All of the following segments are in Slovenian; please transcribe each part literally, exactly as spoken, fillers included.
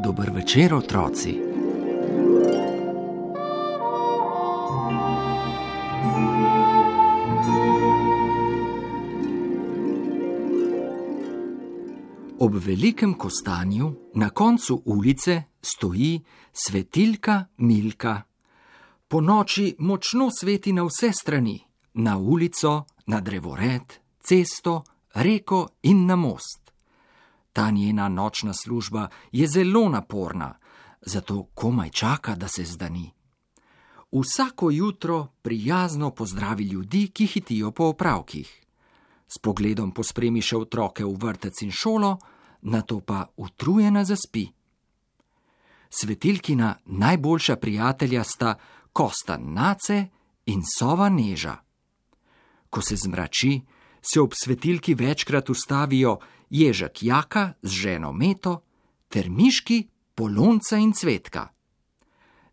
Dober večer, otroci. Ob velikem kostanju na koncu ulice stoji svetilka Milka. Po noči močno sveti na vse strani, na ulico, na drevored, cesto, reko in na most. Ta njena nočna služba je zelo naporna, zato komaj čaka, da se zdani. Vsako jutro prijazno pozdravi ljudi, ki hitijo po opravkih. S pogledom pospremi še otroke v vrtec in šolo, nato pa utrujena zaspi. Svetilkina najboljša prijatelja sta Kostan Nace in Sova Neža. Ko se zmrači, se ob svetilki večkrat ustavijo Ježek Jaka z ženo Meto ter miški Polonca in Cvetka.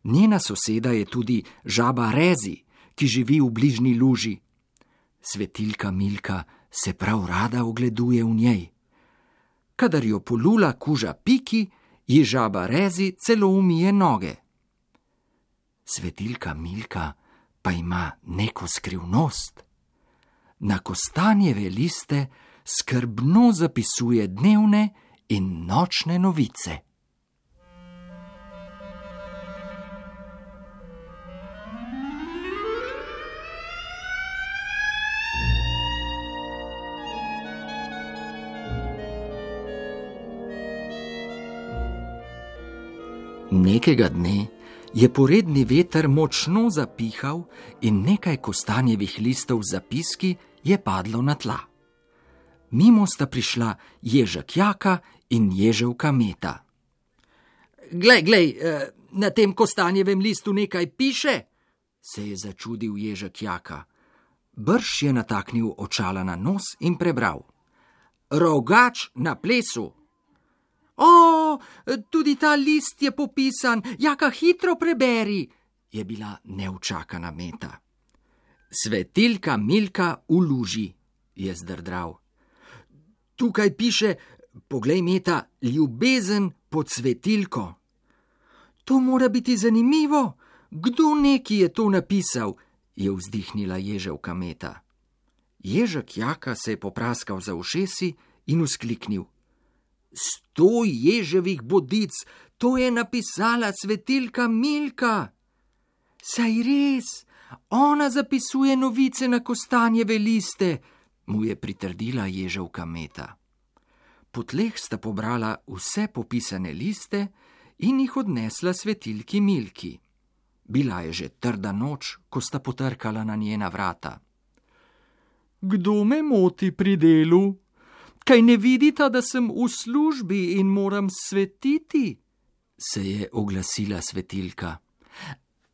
Njena soseda je tudi žaba Rezi, ki živi v bližnji luži. Svetilka Milka se prav rada ogleduje v njej. Kadar jo polula kuža Piki, ji žaba Rezi celo umije noge. Svetilka Milka pa ima neko skrivnost. Na kostanjeve liste skrbno zapisuje dnevne in nočne novice. Nekega dne je poredni veter močno zapihal in nekaj kostanjevih listov z zapiski je padlo na tla. Mimo sta prišla Ježek Jaka in Ježevka Meta. Glej, glej, na tem kostanjevem listu nekaj piše, se je začudil Ježek Jaka. Brž je nataknil očala na nos in prebral. Rogač na plesu. O, tudi ta list je popisan, Jaka, hitro preberi, je bila neučakana Meta. Svetilka Milka v luži, je zdrdral. Tukaj piše, poglej Meta, ljubezen pod svetilko. To mora biti zanimivo, kdo neki je to napisal, je vzdihnila Ježevka Meta. Ježek Jaka se je popraskal za ušesi in vzkliknil. Sto ježevih bodic, to je napisala svetilka Milka. Saj res, ona zapisuje novice na kostanjeve liste, mu je pritrdila Ježevka Meta. Po tleh sta pobrala vse popisane liste in jih odnesla svetilki Milki. Bila je že trda noč, ko sta potrkala na njena vrata. Kdo me moti pri delu? Kaj ne vidita, da sem v službi in moram svetiti? Se je oglasila svetilka.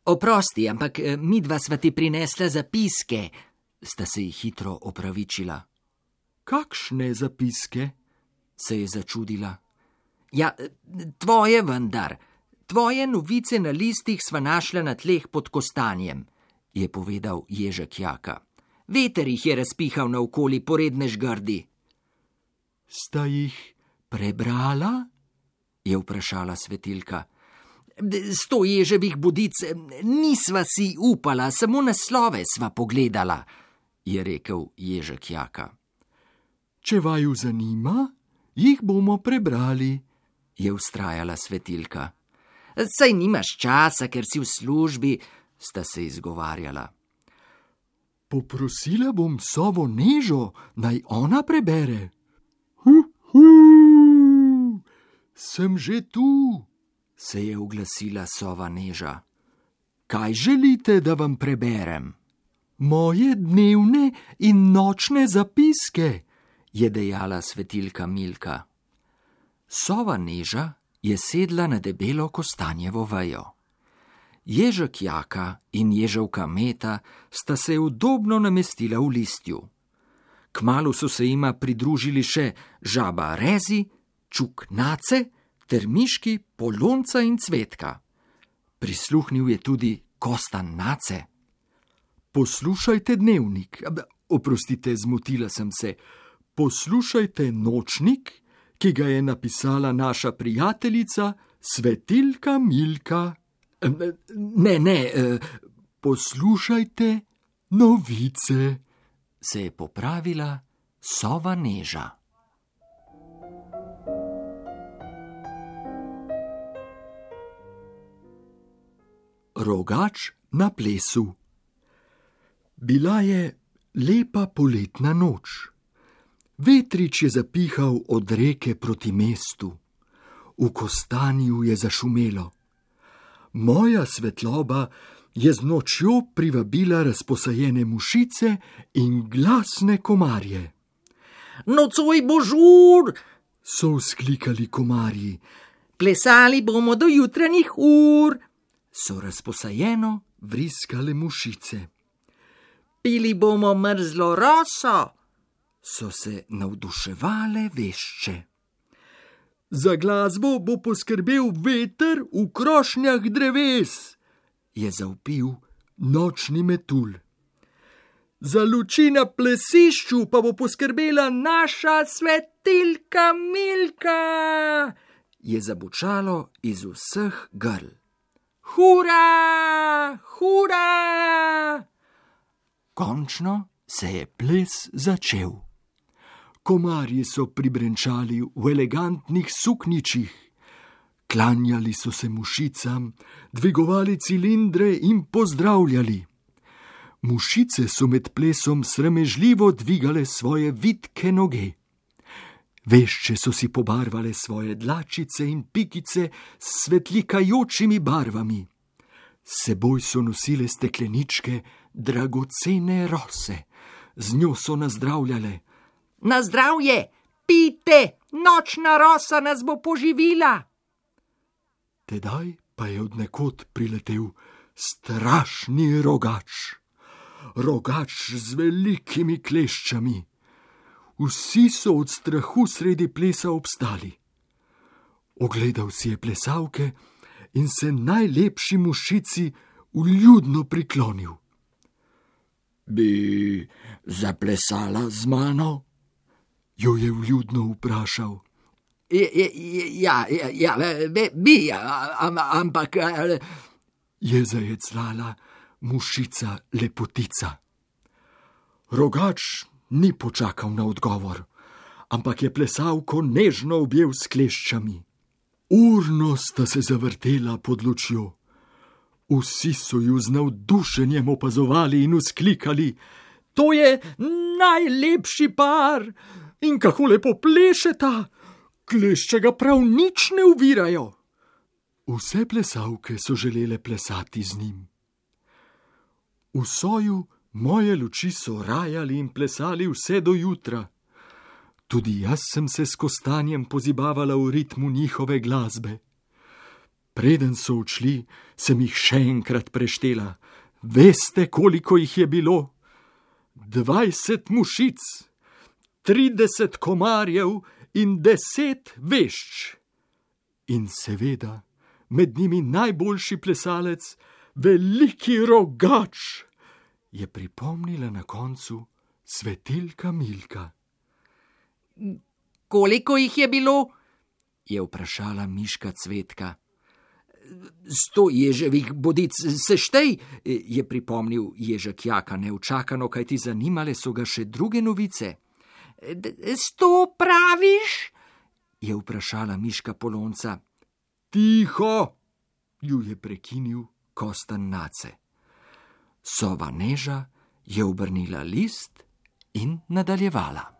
Oprosti, ampak midva sva ti prinesla zapiske, sta se ji hitro opravičila. Kakšne zapiske? Se je začudila. Ja, tvoje vendar. Tvoje novice na listih sva našla na tleh pod kostanjem, je povedal Ježek Jaka. Veter jih je razpihal naokoli poredne žgrdi. Sta jih prebrala? Je vprašala svetilka. Sto ježevih bodic nisva si upala, samo naslove sva pogledala, je rekel Ježek Jaka. Če vaju zanima, jih bomo prebrali, je vztrajala svetilka. Saj nimaš časa, ker si v službi, sta se izgovarjala. Poprosila bom Sovo Nežo, naj ona prebere. Hu, hu, sem že tu, se je oglasila Sova Neža. Kaj želite, da vam preberem? Moje dnevne in nočne zapiske, je dejala svetilka Milka. Sova Neža je sedla na debelo kostanjevo vejo. Ježek Jaka in ježevka Meta sta se udobno namestila v listju. Kmalu so se jima pridružili še žaba Rezi, čuk Nace ter miški Polonca in Cvetka. Prisluhnil je tudi Kostan Nace. Poslušajte dnevnik, oprostite, zmotila sem se, poslušajte nočnik, ki ga je napisala naša prijateljica Svetilka Milka. Ne, ne, poslušajte novice, se je popravila sova Neža. Rogač na plesu. Bila je lepa poletna noč. Vetrič je zapihal od reke proti mestu. V kostanju je zašumelo. Moja svetloba je z nočjo privabila razposajene mušice in glasne komarje. Nocoj bo žur, so vzklikali komarji. Plesali bomo do jutranjih ur, so razposajeno vriskale mušice. Pili bomo mrzlo roso, so se navduševale vešče. Za glasbo bo poskrbel veter v krošnjah dreves, je zavpil nočni metulj. Za luči na plesišču pa bo poskrbela naša Svetilka Milka, je zabučalo iz vseh grl. Hura, hura! Končno se je ples začel. Komarji so pribrenčali v elegantnih sukničih, klanjali so se mušicam, dvigovali cilindre in pozdravljali. Mušice so med plesom sramežljivo dvigale svoje vitke noge. Vešče so si pobarvale svoje dlačice in pikice s svetlikajočimi barvami. S seboj so nosile stekleničke dragocene rose, z njo so nazdravljale. Na zdravje, pijte, nočna rosa nas bo poživila. Tedaj pa je od nekod priletel strašni rogač. Rogač z velikimi kleščami. Vsi so od strahu sredi plesa obstali. Ogledal si je plesalke in se najlepši mušici vljudno priklonil. Bi zaplesala z mano? Jo je vljudno vprašal. Ja, ja, ja, bi, ampak... je zajeclala mušica lepotica. Rogač ni počakal na odgovor, ampak je plesalko nežno objel s kleščami. Urno sta se zavrtela pod lučjo. Vsi so ju z navdušenjem opazovali in vzklikali: to je najlepši par! In kako lepo plešeta! Klešče ga prav nič ne ovirajo! Vse plesalke so želele plesati z njim. V soju moje luči so rajali in plesali vse do jutra. Tudi jaz sem se s kostanjem pozibavala v ritmu njihove glasbe. Preden so odšli, sem jih še enkrat preštela. Veste, koliko jih je bilo? Dvajset mušic, trideset komarjev in deset vešč. In seveda, med njimi najboljši plesalec, veliki rogač, je pripomnila na koncu Svetilka Milka. Koliko jih je bilo? Je vprašala miška Cvetka. Sto ježevih bodic seštej, je pripomnil ježek Jaka neučakano, kajti zanimale so ga še druge novice. Sto praviš? Je vprašala miška Polonca. Tiho, ju je prekinil Kostan Nace. Sova Neža je obrnila list in nadaljevala.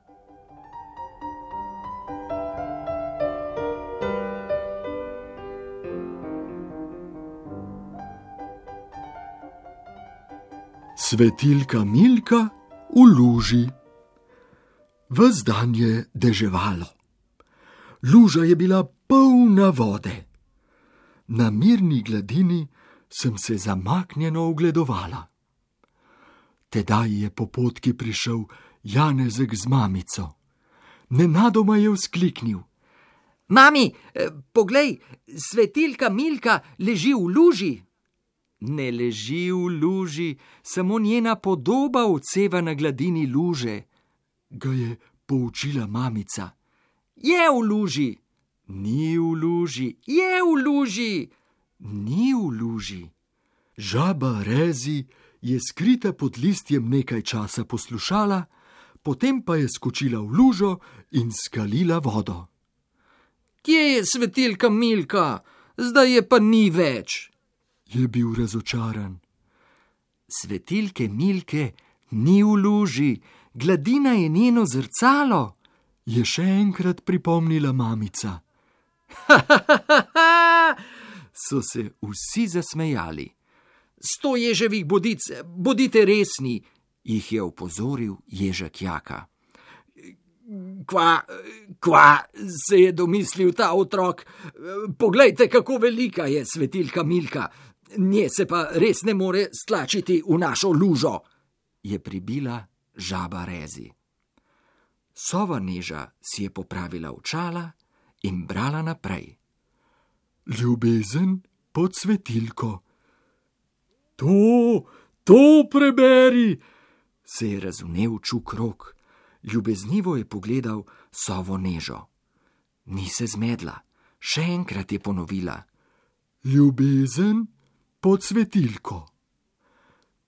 Svetilka Milka v luži. Ves dan je deževalo. Luža je bila polna vode. Na mirni gladini sem se zamaknjeno ogledovala. Tedaj je po potki prišel Janezek z mamico. Nenadoma je vzkliknil: Mami, poglej, svetilka Milka leži v luži. Ne leži v luži, samo njena podoba odseva na gladini luže, ga je poučila mamica. Je v luži. Ni v luži. Je v luži. Ni v luži. Žaba Rezi je skrita pod listjem nekaj časa poslušala, potem pa je skočila v lužo in skalila vodo. Kje je svetilka Milka? Zdaj je pa ni več, je bil razočaran. Svetilke Milke ni v luži, gladina je njeno zrcalo, je še enkrat pripomnila mamica. Ha, ha, ha, ha, so se vsi zasmejali. Sto ježevih bodic, bodite resni, jih je opozoril Ježek Jaka. Kva, kva, se je domislil ta otrok. Poglejte, kako velika je svetilka Milka. Nje se pa res ne more stlačiti v našo lužo, je pribila žaba Rezi. Sova Neža si je popravila očala in brala naprej. Ljubezen pod svetilko. To, to preberi, se je razvnel Čuk Rok. Ljubeznivo je pogledal Sovo Nežo. Ni se zmedla, še enkrat je ponovila. Ljubezen pod svetilko.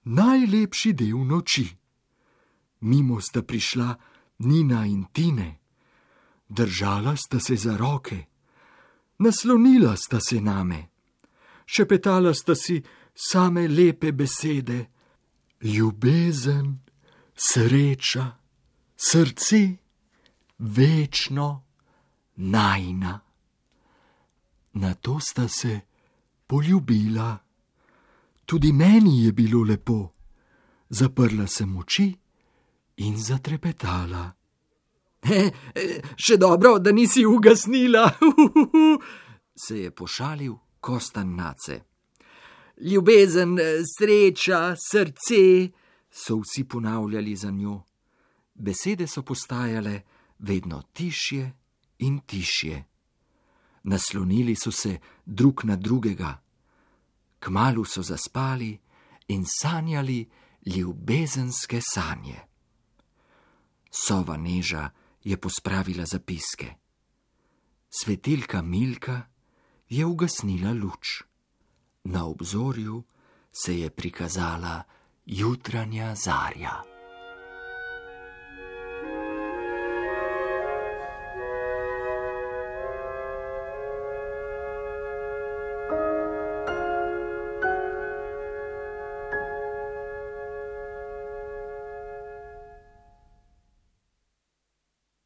Najlepši del noči. Mimo sta prišla Nina in Tine. Držala sta se za roke. Naslonila sta se name. Šepetala sta si same lepe besede. Ljubezen, sreča, srce, večno, najina. Nato sta se poljubila. Tudi meni je bilo lepo. Zaprla sem oči in zatrepetala. He, še dobro, da nisi ugasnila, se je pošalil Kostan Nace. Ljubezen, sreča, srce, so vsi ponavljali za njo. Besede so postajale vedno tišje in tišje. Naslonili so se drug na drugega. Kmalu so zaspali in sanjali ljubezenske sanje. Sova Neža je pospravila zapiske. Svetilka Milka je ugasnila luč. Na obzorju se je prikazala jutranja zarja.